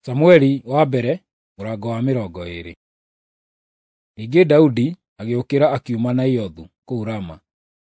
Samueli wa mbere mũrango wa 20. Ningĩ Daudi agĩũkĩra akiuma Naiothu kũu Rama,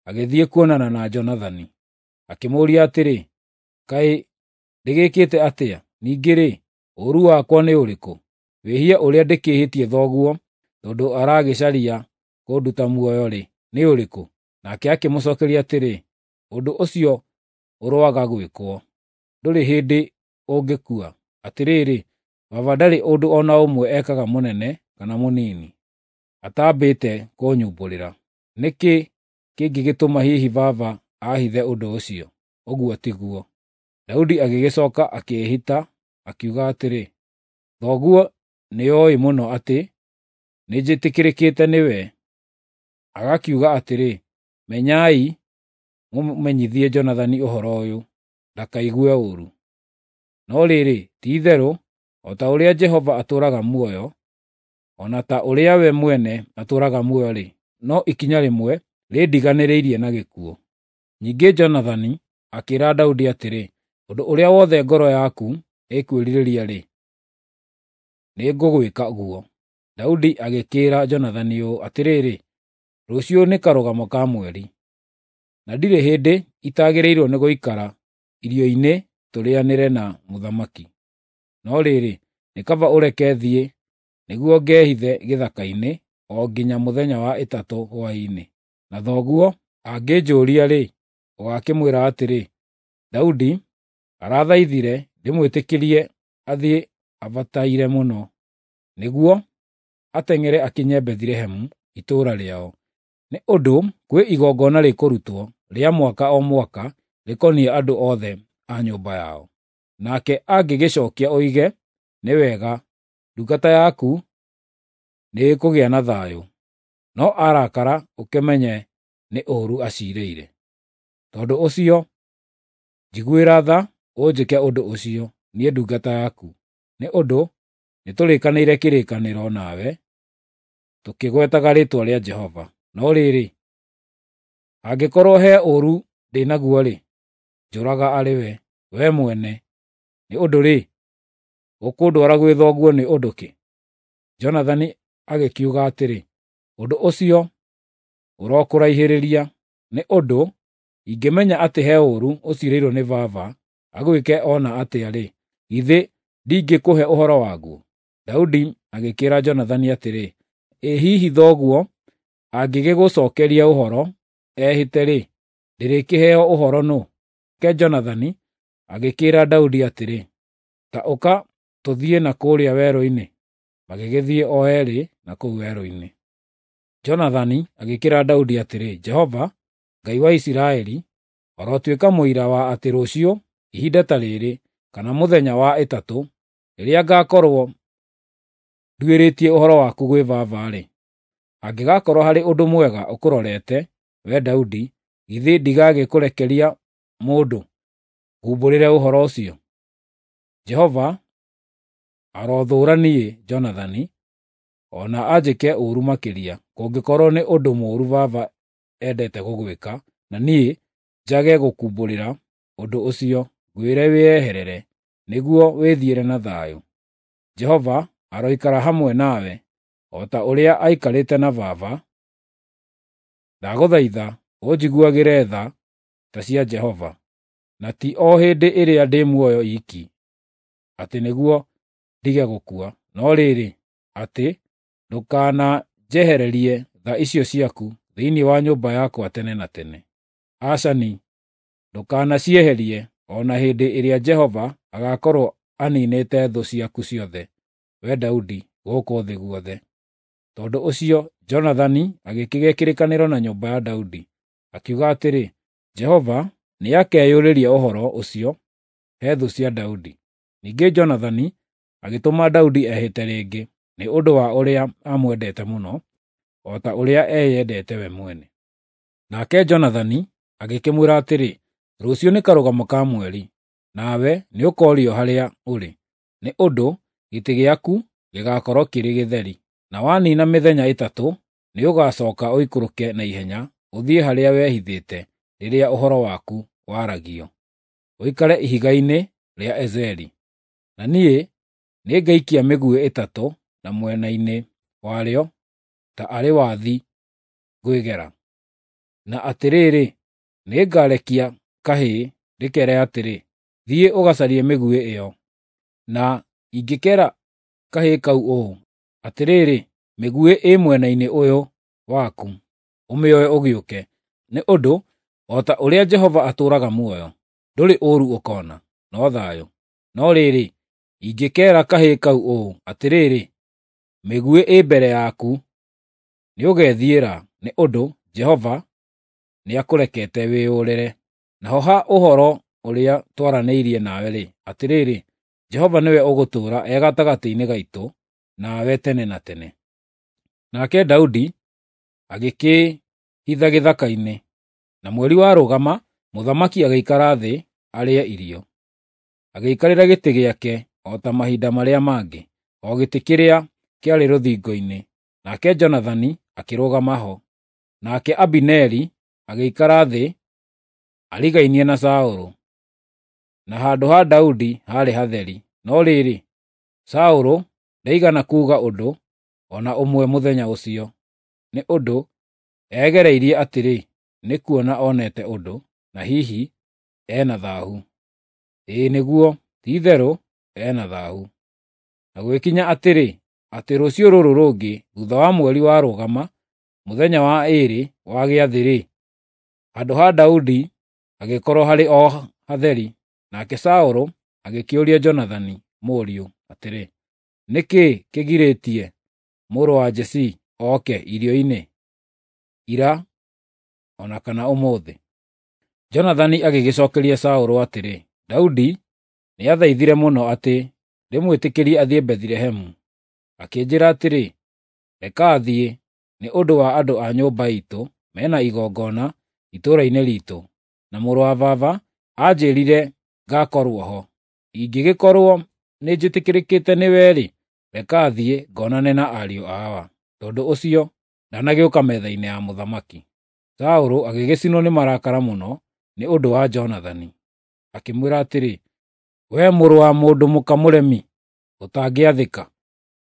agĩthiĩ kuonana na Jonathani. Akĩmũũria atĩrĩ, “Kaĩ ndĩgĩkĩte atĩa? Ningĩ-rĩ, ũũru wakwa nĩ ũrĩkũ? Wĩhia ũrĩa ndĩkĩhĩtie thoguo tondũ aragĩcaria kũnduta muoyo-rĩ, nĩ ũrĩkũ?” Nake akĩmũcookeria atĩrĩ, “Ũndũ ũcio ũroaga gwĩkwo! Ndũrĩ hĩndĩ ũngĩkua. Atĩrĩrĩ, baba ndarĩ ũndũ o na ũmwe ekaga mũnene kana mũnini, ataambĩte kũnyumbũrĩra. Nĩ kĩĩ kĩngĩgĩtũma hihi baba aahithe ũndũ ũcio? Ũguo tiguo.” Daudi agĩgĩcooka akĩĩhĩta, akiuga atĩrĩ, “Thoguo nĩoĩ mũno atĩ nĩnjĩtĩkĩrĩkĩte nĩwe, agakiuga atĩrĩ, ‘Menyai mũmenyithie Jonathani ũhoro ũyũ, ndakaigue ũũru.’ No rĩrĩ, ti-itherũ o ta ũrĩa Jehova atũũraga muoyo, o na ta ũrĩa we mwene atũũraga muoyo-rĩ, no ikinya rĩmwe rĩndiganĩrĩirie na gĩkuũ.” Ningĩ Jonathani akĩĩra Daudi atĩrĩ, “Ũndũ ũrĩa wothe ngoro yaku ĩkwĩrirĩria-rĩ, nĩngũgwĩka guo.” Daudi agĩkĩĩra Jonathani ũũ, “Atĩrĩrĩ, rũciũ nĩ karũgamo ka mweri, na ndirĩ hĩndĩ itagĩrĩirwo nĩ gũikara irio-inĩ tũrĩanĩre na mũthamaki. No rĩrĩ, nĩ kaba ũreke thiĩ nĩguo ngehithe gĩthaka-inĩ o nginya mũthenya wa ĩtatũ hwaĩ-inĩ. Na thoguo angĩnjũũria-rĩ, ũgaakĩmwĩra atĩrĩ, ‘Daudi arathaithire ndĩmwĩtĩkĩrie athiĩ abataire mũno, nĩguo ateng'ere akinye Bethilehemu, itũũra rĩao. Nĩ ũndũ kwĩ igongona rĩkũrutwo rĩa mwaka o mwaka rĩkoniĩ andũ othe a nyũmba yao.’ Nake angĩgĩcookia oige, ‘Nĩ wega, ndungata yaku nĩĩkũgĩa na thayũ.’ No arakara ũkĩmenye nĩ ũũru aciirĩire. Tondũ ũcio, njiguĩra tha ũnjĩke ũndũ ũcio, niĩ ndungata yaku, nĩ ũndũ nĩtũrĩkanĩire kĩrĩkanĩro nawe tũkĩgwetaga rĩĩtwa rĩa Jehova. No rĩrĩ, hangĩkorwo he ũũru ndĩ naguo-rĩ, njũraga arĩ we, wee mwene. Nĩ ũndũ-rĩ, ũkũndwara gwĩ thoguo nĩ ũndũ kĩ?” Jonathani agĩkiuga atĩrĩ, “Ũndũ ũcio ũrokũraihĩrĩria, nĩ ũndũ ingĩmenya atĩ he ũũru ũciirĩirwo nĩ baba agwĩke o na atĩa-rĩ, githĩ ndingĩkũhe ũhoro waguo?” Daudi agĩkĩĩra Jonathani atĩrĩ, “Ĩ hihi thoguo angĩgĩgũcookeria ũhoro ehĩte-rĩ, ndĩrĩkĩheo ũhoro nũ?” Nake Jonathani agĩkĩĩra Daudi atĩrĩ, “Ta ũka tũthiĩ na kũũrĩa werũ-inĩ.” Magĩgĩthiĩ o eerĩ na kũu werũ-inĩ. Jonathani agĩkĩĩra Daudi atĩrĩ, “Jehova, Ngai wa Isiraeli, arotuĩka mũira wa atĩ rũciũ ihinda ta rĩrĩ, kana mũthenya wa ĩtatũ, rĩrĩa ngaakorwo nduĩrĩtie ũhoro waku gwĩ baba-rĩ, hangĩgakorwo harĩ ũndũ mwega ũkũrorete, wee Daudi, githĩ ndigagĩkũrekeria mũndũ ngumbũrĩre ũhoro ũcio? Jehova arothũũra niĩ, Jonathani, o na anjĩke ũũru makĩria, kũngĩkorwo nĩ ũndũ mũũru baba endete gũgwĩka, na niĩ njage gũkumbũrĩra ũndũ ũcio, ngwĩre wĩeherere, nĩguo wĩthiĩre na thayũ. Jehova aroikara hamwe nawe, o ta ũrĩa aikarĩte na baba. Ndagũthaitha ũnjiguagĩre tha ta cia Jehova, na ti o hĩndĩ ĩrĩa ndĩ muoyo iiki, atĩ nĩguo ndige gũkua, no rĩrĩ, atĩ ndũkananjehererie tha icio ciaku thĩinĩ wa nyũmba yakwa tene na tene. Aca-ni, ndũkanacieherie o na hĩndĩ ĩrĩa Jehova agaakorwo aniinĩte thũ ciaku ciothe, wee Daudi, gũkũ thĩ guothe.” Tondũ ũcio Jonathani agĩkĩgĩa kĩrĩkanĩro na nyũmba ya Daudi, akiuga atĩrĩ, “Jehova nĩakeyũrĩria ũhoro ũcio he thũ cia Daudi.” Ningĩ Jonathani agĩtũma Daudi ehĩte rĩngĩ, nĩ ũndũ wa ũrĩa aamwendete mũno, o ta ũrĩa eyendete we mwene. Nake Jonathani agĩkĩmwĩra atĩrĩ, “Rũciũ nĩ karũgamo ka mweri, nawe nĩũkoorio harĩa ũrĩ, nĩ ũndũ gĩtĩ gĩaku gĩgaakorwo kĩrĩ gĩtheri. Na waniina mĩthenya ĩtatũ, nĩũgacooka ũikũrũke na ihenya ũthiĩ harĩa wehithĩte rĩrĩa ũhoro waku waragio, ũikare ihiga-inĩ rĩa Ezeli. Na niĩ Nĩngaikia mĩguĩ 3 na mwena-inĩ warĩo ta arĩ wathi ngwĩgera. Na atĩrĩrĩ, nĩngarekia kahĩĩ ndĩkeere atĩrĩ, 'Thiĩ ũgacarie mĩguĩ ĩyo.' Na ingĩkeera kahĩĩ kau ũũ, 'Atĩrĩrĩ, mĩguĩ ĩ mwena-inĩ ũyũ waku, ũmĩoe ũgĩũke,' nĩ ũndũ o ta ũrĩa Jehova atũũraga muoyo, ndũrĩ ũũru ũkoona, no thayũ. No rĩrĩ, ingĩkeera kahĩĩ kau ũũ, 'Atĩrĩrĩ, mĩguĩ ĩ mbere yaku,' nĩũgethiĩra, nĩ ũndũ Jehova nĩakũrekete wĩyũrĩre. Naho ha ũhoro ũrĩa twaranĩirie nawe-rĩ, atĩrĩrĩ, Jehova nĩwe ũgũtũũra e gatagatĩ-inĩ gaitũ nawe tene na tene." Nake Daudi agĩkĩĩhitha gĩthaka-inĩ, na mweri warũgama, mũthamaki agĩikara thĩ arĩe irio. Agĩikarĩra gĩtĩ gĩake o ta mahinda marĩa mangĩ, o gĩtĩ kĩrĩa kĩarĩ rũthingo-inĩ, nake Jonathani akĩrũgama ho. Nake Abineri agĩikara thĩ arigainie na Saũlũ, na handũ ha Daudi haarĩ hatheri. No rĩrĩ, Saũlũ ndaigana kuuga ũndũ o na ũmwe mũthenya ũcio, nĩ ũndũ egereirie atĩrĩ, nĩ kuona onete ũndũ, na hihi e na thaahu. Ĩĩ nĩguo, ti-itherũ e na thaahu. Na gũgĩkinya atĩrĩ, atĩ rũciũ rũrũ rũngĩ, thuutha wa mweri warũgama, mũthenya wa ĩĩrĩ wa gĩathĩ-rĩ, handũ ha Daudi hagĩkorwo harĩ o hatheri. Nake Saũlũ agĩkĩũria Jonathani mũriũ atĩrĩ, "Nĩ kĩĩ kĩgirĩtie mũrũ wa Jesii oke irio-inĩ ira o na kana ũmũthĩ?" Jonathani agĩgĩcookeria Saũlũ atĩrĩ, "Daudi nĩathaithire mũno atĩ ndĩmwĩtĩkĩrie athiĩ Bethilehemu. Akĩnjĩĩra atĩrĩ, 'Reka athiĩ, nĩ ũndũ wa andũ a nyũmba iitũ mena igongona itũũra-inĩ riitũ, na mũrũ wa baba anjĩĩrire ngakorwo ho. Ingĩgĩkorwo nĩnjĩtĩkĩrĩkĩte nĩwe-rĩ, reka thiĩ ngonane na ariũ a awa." Tondũ ũcio ndanagĩũka metha-inĩ ya mũthamaki. Saũlũ agĩgĩcinwo nĩ marakara mũno nĩ ũndũ wa Jonathani, akĩmwĩra atĩrĩ, "Wee mũrũ wa mũndũ mũka mũremi, ũtangĩathĩka!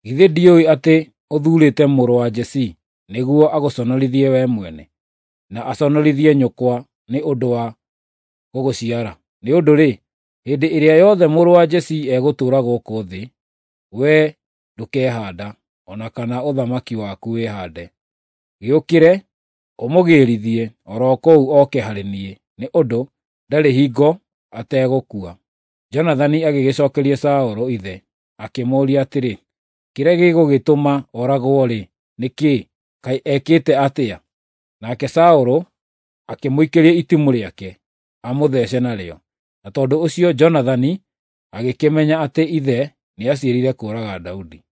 Githĩ ndiũĩ atĩ ũthuurĩte mũrũ wa Jesii nĩguo agũconorithie wee mwene, na aconorithie nyũkwa nĩ ũndũ wa gũgũciara? Nĩ ũndũ-rĩ, hĩndĩ ĩrĩa yothe mũrũ wa Jesii egũtũũra gũkũ thĩ, wee ndũkehaanda, o na kana ũthamaki waku wĩhaande. Gĩũkĩre, ũmũgĩrithie o ro kũu oke harĩ niĩ, nĩ ũndũ ndarĩ hingo ategũkua." Jonathani agĩgĩcookeria Saũlũ ithe, akĩmũũria atĩrĩ, "Kĩrĩa gĩgũgĩtũma ooragwo-rĩ, nĩ kĩĩ? Kaĩ ekĩte atĩa?" Nake Saũlũ akĩmũikĩria itimũ rĩake amũthece narĩo, na tondũ ũcio Jonathani agĩkĩmenya atĩ ithe nĩaciirĩire kũũraga Daudi.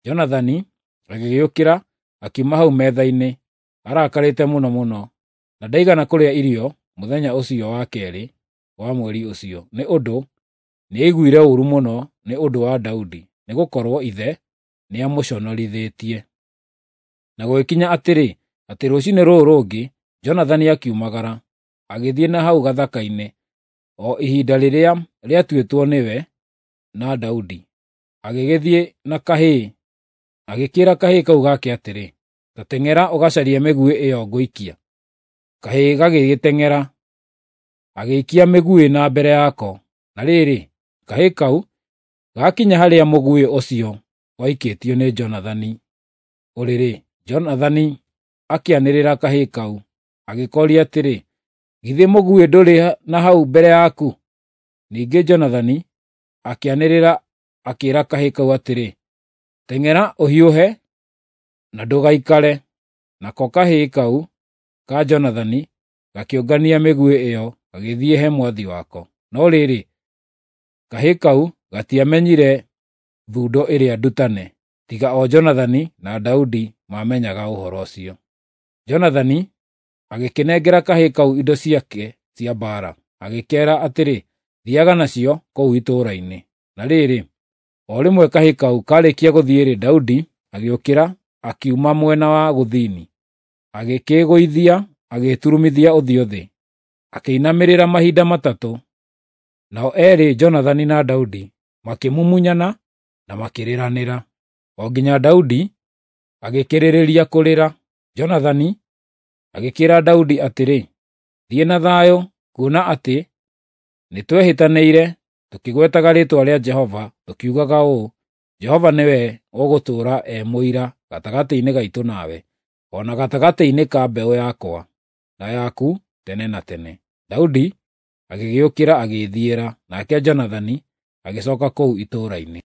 Jonathani agĩgĩũkĩra akiuma hau metha-inĩ arakarĩte mũno mũno, na ndaigana kũrĩa irio mũthenya ũcio wa keerĩ wa mweri ũcio, nĩ ũndũ nĩaiguire ũũru mũno nĩ ũndũ wa Daudi, nĩgũkorwo ithe nĩamũconorithĩtie. Na gũgĩkinya atĩrĩ, atĩ rũciinĩ rũrũ rũngĩ Jonathani akiumagara, agĩthiĩ na hau gathaka-inĩ, o ihinda rĩrĩa rĩatuĩtwo nĩwe na Daudi. Agĩgĩthiĩ na kahĩĩ, agĩkĩĩra kahĩĩ kau gake atĩrĩ, "Ta teng'era ũgacarie mĩguĩ ĩyo ngũikia." Kahĩĩ gagĩgĩteng'era, agĩikia mĩguĩ na mbere yako. Na rĩrĩ, kahĩĩ kau gaakinya harĩa mũguĩ ũcio waikĩtio nĩ Jonathani ũrĩ-rĩ, Jonathani akĩanĩrĩra kahĩĩ kau, agĩkooria atĩrĩ, "Githĩ mũguĩ ndũrĩ na hau mbere yaku?" Ningĩ Jonathani akĩanĩrĩra akĩĩra kahĩĩ kau atĩrĩ, "Teng'era ũhiũhe na ndũgaikare." Nako kahĩĩ kau ka Jonathani gakĩũngania mĩguĩ ĩyo gagĩthiĩ he mwathi wako. No rĩrĩ, kahĩĩ kau gatiamenyire thundo ĩrĩa ndutane, tiga o Jonathani na Daudi maamenyaga ũhoro ũcio. Jonathani agĩkĩnengera kahĩĩ kau indo ciake cia mbaara, agĩkeera atĩrĩ, "Thiiaga nacio kũu itũũra-inĩ." Na rĩrĩ, o rĩmwe kahĩĩ kau kaarĩkia gũthiĩ-rĩ, Daudi agĩũkĩra akiuma mwena wa gũthini, agĩkĩĩgũithia agĩturumithia ũthiũ thĩ, akĩinamĩrĩra mahinda matatũ. Nao eerĩ Jonathani na Daudi makĩmumunyana na makĩrĩranĩra, o nginya Daudi agĩkĩrĩrĩria kũrĩra. Jonathani agĩkĩĩra Daudi atĩrĩ, “Thiĩ na thayũ, kuona atĩ nĩtwehĩtanĩire tũkĩgwetaga rĩĩtwa rĩa Jehova, tũkiugaga ũũ, ‘Jehova nĩwe ũgũtũũra e mũira gatagatĩ-inĩ gaitũ nawe, o na gatagatĩ-inĩ ka mbeũ yakwa na yaku tene na tene.’ ” Daudi agĩgĩũkĩra agĩĩthiĩra, nake Jonathani agĩcooka kũu itũũra-inĩ.